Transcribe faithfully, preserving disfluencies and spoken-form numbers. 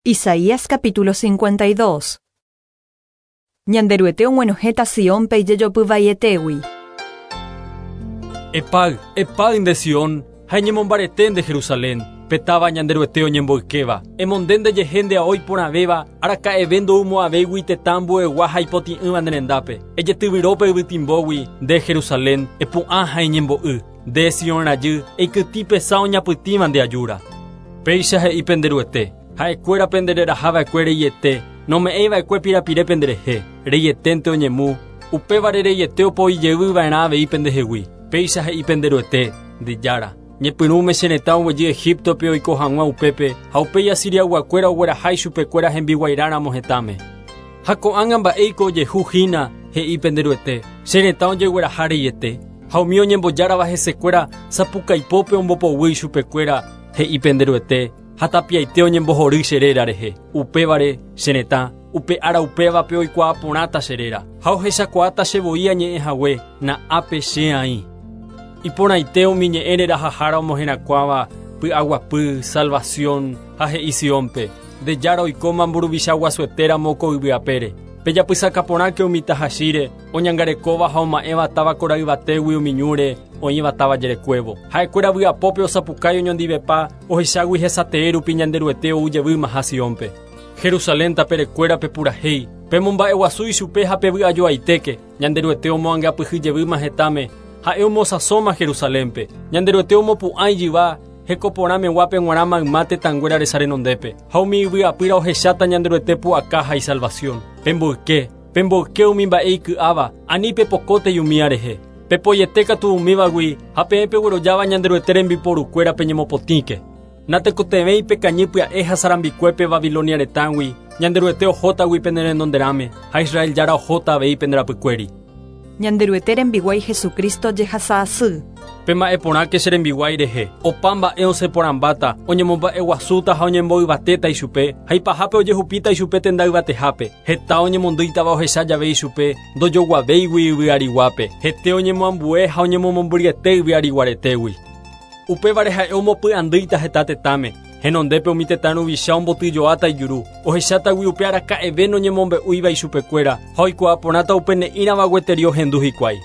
Isaías capítulo cincuenta y dos. Ñanderuete og̃uenohẽta Siónpe ijejopy vaietégui. Epáy, epáy nde Sion, ha eñemombarete nde Jerusalén, pe táva Ñanderuete oñemboykéva. Emonde ndejehe nde ao iporãvéva, araka'eve ndoumo'ãvéigui tetã ambuegua ha ipotĩ'ỹva ne rendápe. Ejetyvyro pe yvytimbógui, nde Jerusalén, epu'ã ha eñembo'y. Nde Sion rajy, eikytĩ pe sã oñapytĩva nde ajúra. Péicha he'i pende Ruete, ha'ekuéra pendererahava'ekue reiete, nome'ẽiva'ekue pirapire penderehe, reieténte oñemu, upévare reiete opoijeyva'erã avei pendehegui. Péicha he'i pende Ruete, nde Jára. Ñepyrũme che retã oguejy Egiptope oiko hag̃ua upépe, ha upéi Asiriayguakuéra ogueraha ichupekuéra hembiguairãramo hetãme. Ha ko'ág̃a mba'éiko ojehuhína, he'i pende Ruete, che retã ojegueraha reiete, ha umi oñembojárava hesekuéra sapukaipópe ombopoguy ichupekuéra, he'i pende Ruete, ha tapiaite oñembohory che réra rehe. Upévare, che retã, upe ára upévape oikuaa porãta che réra, ha ohechakuaáta che voi añe'ẽhague, na'ápe che aĩ. Iporãite umi ñe'ẽ rerahahára omoherakuãva py'aguapy, salvación ha he'i Siónpe, nde Jára oikóma mburuvicha guasuetéramo ko yvy apére. Pejapysaka porãke umi tahachíre, oñangarekóva ha oma'ẽva táva kora yvatégui umi ñúre, oĩva táva jerekuévo. Ha'ekuéra vy'apópe osapukái oñondivepa, ohechágui hesatee rupi Ñanderuete ou jevýmaha Siónpe. Jerusalén taperekuéra pepurahéi, pemomba'eguasu ichupe ha pevy'ajoaitéke, Ñanderuete omoangapyhy jevýma hetãme, ha'e omosãsóma Jerusalénpe. Ñanderuete omopu'ã ijyva, hekoporãmeguápe g̃uarã mayma tetãnguéra resa renondépe. Ha umi yvy apýra ohecháta Ñanderuete pu'aka ha isalvación. Pemboyke, pemboyke umi mba'e iky'áva, ani pepokótei umíva rehe. Pepoiete katu umívagui ha peẽ peguerojáva Ñanderuete rembiporukuéra peñemopotĩke. Natekotevẽi pekañy pya'e ha sarambikuépe Babilonia retãgui, Ñanderuete ohótagui pene renonderãme, ha Israel Jára ohóta avei pende rapykuéri. Ñanderuete rembiguái Jesucristo jehasa asy. Pema'ẽ porãke che rembiguái rehe, opa mba'e osẽ porãmbáta, oñemomba'eguasúta ha oñemboyvatéta ichupe, ha ipahápe ojehupíta ichupe tenda yvatehápe, heta oñemondýitava ohecha jave ichupe, ndojoguavéigui yvy ariguápe, hete oñemoambue ha oñemomombyryete yvy ariguaretégui. Upévare ha'e omopy'andýita heta tetãme, henondépe umi tetã ruvicha ombotyjoáta ijuru, ohechátagui upe araka'eve noñemombe'úiva ichupekuéra, ha oikuaa porãta upe ne'ĩrava gueteri ohendu hikuái.